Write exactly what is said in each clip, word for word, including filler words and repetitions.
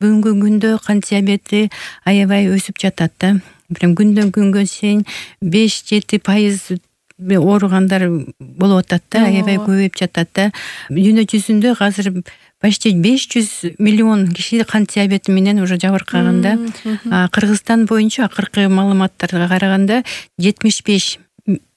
бүгүнкү күндө кант диабети аябай өсүп жатат да. Прям күндөн күнгө чейин беш жети пайыз ооругандар болуп атат да, аябай көбөйүп жатат да. Дүйнө жүзүндө азыр почти беш жүз миллион киши кант диабети менен уже жабыркаганда. Кыргызстан боюнча акыркы маалыматтарга караганда жетимиш беш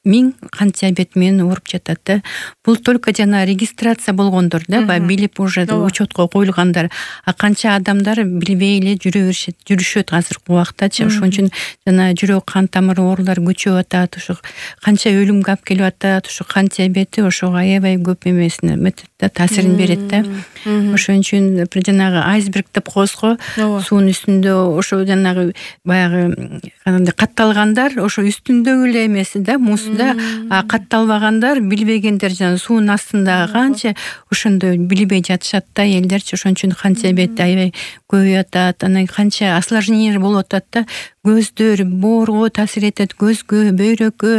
миң кант диабети менен ооруп жатат да. Бул только жана регистрация болгондор да, баягы билип уже учетко коюлгандар. А канча адамдар билбей эле жүрө беришет, жүрүшөт азыркы убактачы. Ошон үчүн жана жүрөк кан тамыр оорулары көчүп атат, ошо канча өлүмгө алып келип атат. Ошо кант диабети ошого аябай көп эмесине метет да, таасирин берет да. Ошон үчүн жанагы айсберг деп коебуз го, суунун үстүндө ошо жанагы баягы кандай катталгандар ошо үстүндөгү эле эмеси да, музда, а катталбагандар, билбегендер жана суунун астында канча ошондой билбей жатышат да элдерчи. Ошон үчүн кант диабети аябай көбөйүп атат. Анан канча осложнение болуп атат да. Көздөр, боорго таасир этет, көзгө, бөйрөккө,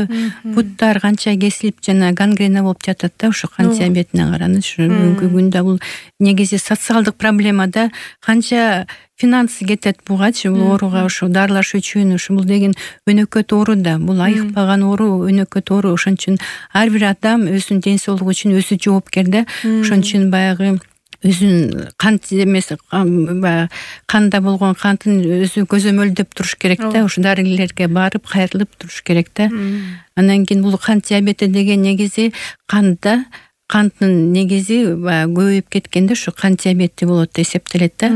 буттар канча кесилип жана гангрена болуп жатат да ошо кант диабетине караныч. Бүгүнкү күндө бул негизи социалдык проблема да. Канча финансы кетет бугачы, бул ооруга ошо дарылаш үчүн. Ошо бул деген өнөкөт оору да. Бул айыкпаган оору, өнөкөт оору. Ошон үчүн ар бир адам өзүнүн ден соолугу үчүн өзү жоопкер да. Ошон үчүн баягы өзүн кант эмес, канда болгон кантын өзү көзөмөлдөп туруш керек да. Ошо дарыгерлерге барып, кайрылып туруш керек да. Анан кийин бул кант диабети деген негизи канда канттын негизи көбөйүп кеткенде ошо кант диабети болот деп эсептелет да.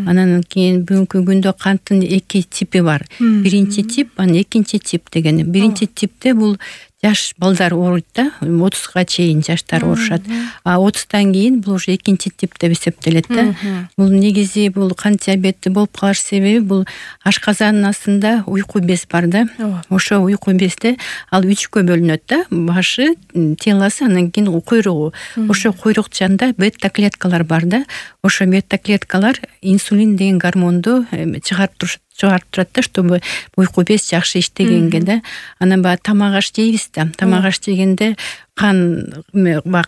Анан кийин бүгүнкү күндө канттын эки типи бар. Биринчи тип, анан экинчи тип деген. Биринчи типте бул жаш балдар ооруйт да, отузга чейин жаштар оорушат. А отуздан кийин бул уже экинчи тип деп эсептелет да. Бул негизи бул кант диабети болуп калыш себеби бул ашказандын астында уйку без бар да. Ошо уйку безде ал үчкө бөлүнөт да. Башы, телосы, анан кийин куйругу. Ошо куйрук жанында бета клеткалар бар да. Ошо бета клеткалар инсулин деген гормонду чыгарып турушат чыгарып турат да, чтобы уйку без жакшы иштегенге да. Анан баягы тамак аш жейбиз да. Тамак аш жегенде кан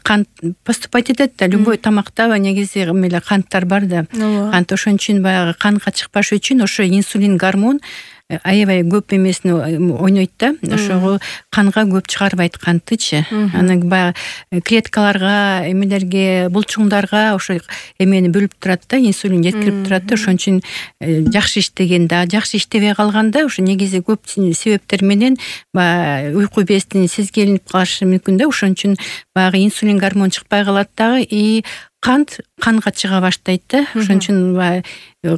кан поступать этет да. Любой тамакта негизи эмеле канттар бар да. Кант ошон үчүн баягы канга чыкпаш үчүн ошо инсулин гормон аябай көп эмесин ойнойт да. Ошого канга көп чыгарбайт канттычы. Анан баягы клеткаларга, эмелерге, булчуңдарга ошо эмени бөлүп турат да, инсулин жеткирип турат да. Ошон үчүн жакшы иштегенде, жакшы иштебей калганда ошо негизи көп себептер менен баягы уйку бездин сезгенип калышы мүмкүн да. Ошон үчүн баягы инсулин гормон чыкпай калат дагы, и кант канга чыга баштайт да. Ошон үчүн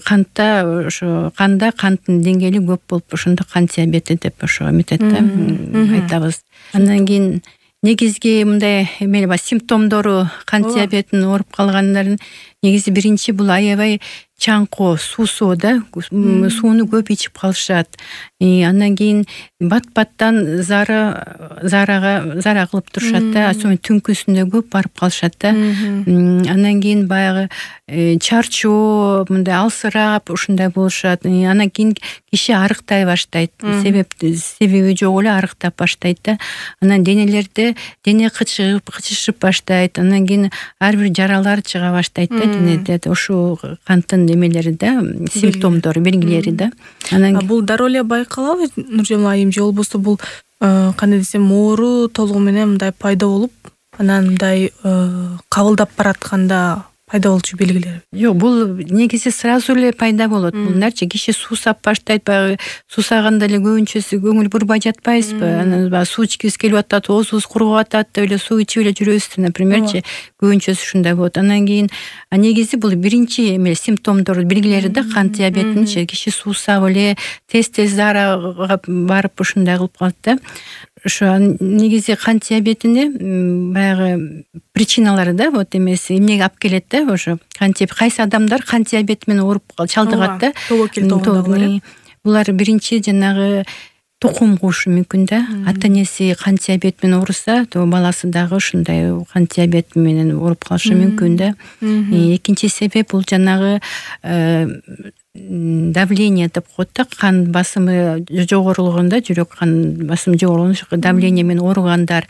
кантта ошо канда канттын деңгээли көп болуп, ошондо кант диабети деп ошо эметет да, айтабыз. Андан кийин негизги мындай эмел бар, симптомдору кант диабетинин ооруп калгандардын негизи биринчи бул аябай чаңкоо, суусоо да, сууну көп ичип калышат. Андан кийин бат-баттан зара зарага зара кылып турушат да, особенно түнкүсүндө көп барып калышат да. Андан кийин баягы чарчоо, мындай алсырап ушундай болушат. Андан кийин киши арыктай баштайт. Себеп себеби жок эле арыктап баштайт да. Анан денелерде дене кычыгып, кычышып баштайт. Андан кийин ар бир жаралар чыга баштайт да денеде. Ошо канттын эмелери да, симптомдору, белгилери да. Анан бул дароо эле байкалабы, Нуржамал айым, же болбосо бул кандай десем, оору толугу менен мындай пайда болуп, анан мындай кабылдап баратканда пайда болчу белгилери? Жок, бул негизи сразу эле пайда болот. Буларчы киши суусап баштайт, баягы суусаганда эле көбүнчөсү көңүл бурбай жатпайбызбы? Анан баягы суу ичкибиз келип атат, оозубуз куруп атат деп эле суу ичип эле жүрөбүз, напримерчи. Көбүнчөсү ушундай болот. Андан кийин негизи бул биринчи эме симптомдор, белгилери да кант диабетининчи. Киши суусап эле тез-тез зарага барып ушундай кылып калат да. Ошо негизи кант диабетине баягы причиналары да, вот эмеси эмнеге алып келет да, ошо кантип кайсы адамдар кант диабети менен ооруп чалдыгат да. Булар биринчи жанагы тукум куушу мүмкүн да. Ата энеси кант диабети менен ооруса, то баласы дагы ушундай кант диабети менен ооруп калышы мүмкүн да. Экинчи себеп бул жанагы давление деп коет да, кан басымы жогорулганда, жүрөк кан басымы жогорулганда давление менен ооругандар,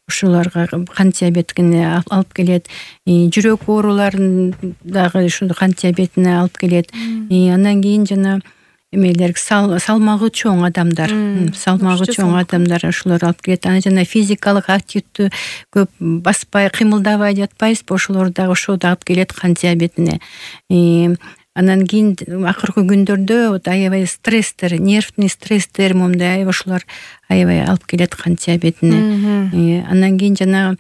ушуларга кант диабетине алып келет. Жүрөк ооруларын дагы ушул кант диабетине алып келет. Андан кийин жана эмелер салмагы чоң адамдар, салмагы чоң адамдар ушулар алып келет. Анан жана физикалык активдүү көп баспай, кыймылдабай жатпайбызбы, ошолор дагы ошо да алып келет кант диабетине. Анан кийин акыркы күндөрдө вот аябай стресстер, нервный стресстер момундай ошолор аябай алып келет кант диабетине. Андан кийин жана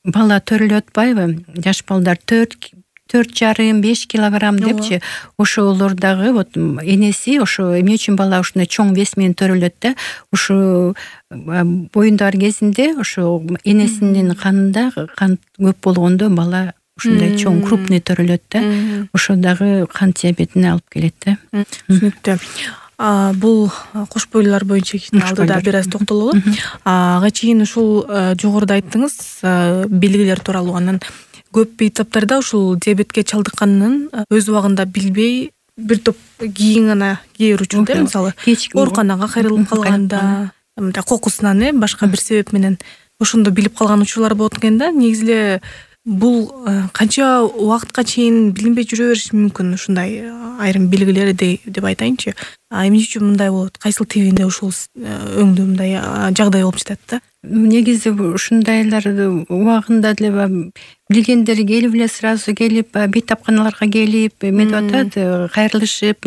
бала төрөлүп атпайбы? Жаш балдар төрт төрт жарым беш килограмм депчи, ошолор дагы вот энеси ошо эмне үчүн бала ушундай чоң вес менен төрөлөт да, ушу боюндар кезинде ошо энесинин канында кан көп болгондо бала ушундай чоң крупный төрөлөт да, ошо дагы кант диабетине алып келет да. Түшүнүктүү. Бул кош бойлуулар боюнча алдыда бир аз токтололу. Ага чейин ушул жогоруда айттыңыз белгилер тууралуу. Анан көп бейтаптарда ушул диабетке чалдыкканын өз убагында билбей бир топ кийин гана кээ берүүчү да, мисалы ооруканага кайрылып калганда, мындай кокусунан э башка бир себеп менен ошондо билип калган учурлар болот экен да. Негизи эле бул канча убакытка чейин билинбей жүрө бериши мүмкүн ушундай айрым белгилер деп айтайынчы. Эмне үчүн мындай болот? Кайсыл тебинде ушул өңдө мындай жагдай болуп жатат да? Негизи ушундайлар убагында деле билгендер келип эле сразу келип бейтапканаларга келип эметип атат, кайрылышып,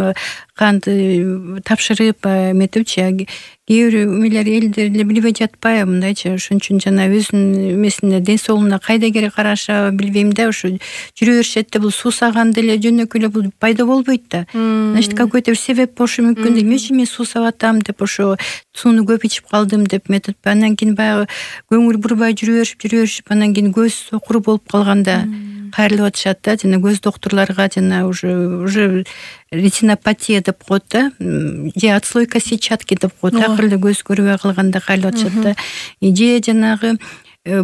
канды тапшырып эметипчи. Кээ бир эмелер элдер эле билбей жатпайбы мындайчы. Ошон үчүн жана өзүнүн эмесине, ден соолугуна кайда керек караша билбейм да, ушу жүрө беришет да. Бул суусаганда эле жөнөкөй эле бул пайда болбойт да. Значит, какой-то бир себеп болушу мүмкүн да. Эмне үчүн мен суусап атам деп, ошо сууну көп ичип калдым деп метип. Андан кийин баягы көңүл бурбай жүрө беришип, жүрө беришип, анан кийин көз сокур болуп калганда кайрылып атышат да. Жана көз доктурларга жана уже уже ретинопатия деп коет да, же отслойка сетчатки деп коет. Акыры көз көрбөй калганда кайрылып атышат да. Же жанагы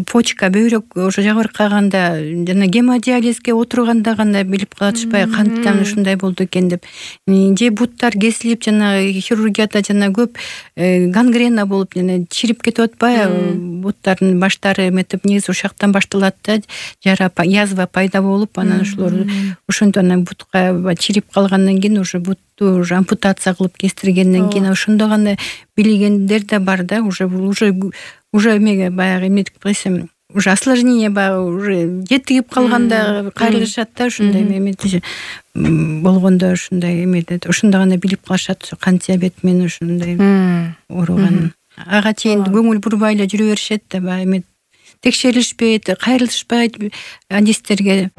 почка, бөйрөк ошо жабыркаганда, жана гемодиализге отурганда гана билип калатышпай, канттан ушундай болду экен деп. Же буттар кесилип, жана хирургияда жана көп гангрена болуп, жана чирип кетип атпайбы, буттардын баштары эметип, негизи ушактан башталат да, жара, язва пайда болуп, анан ошолор ошондо анан бутка чирип калгандан кийин уже бутту уже ампутация кылып кестиргенден кийин ошондо гана билгендер да бар да, уже уже уже эмеге баягы эметип койсом, уже осложнение баягы уже жетигип калганда кайрылышат да, ушундай эмети болгондо ушундай эмеде, ошондо гана билип калышат кант диабет менен ушундай ооруганын. Ага чейин көңүл бурбай эле жүрө беришет да, баягы эме текшерилишпейт, кайрылышпайт адистерге.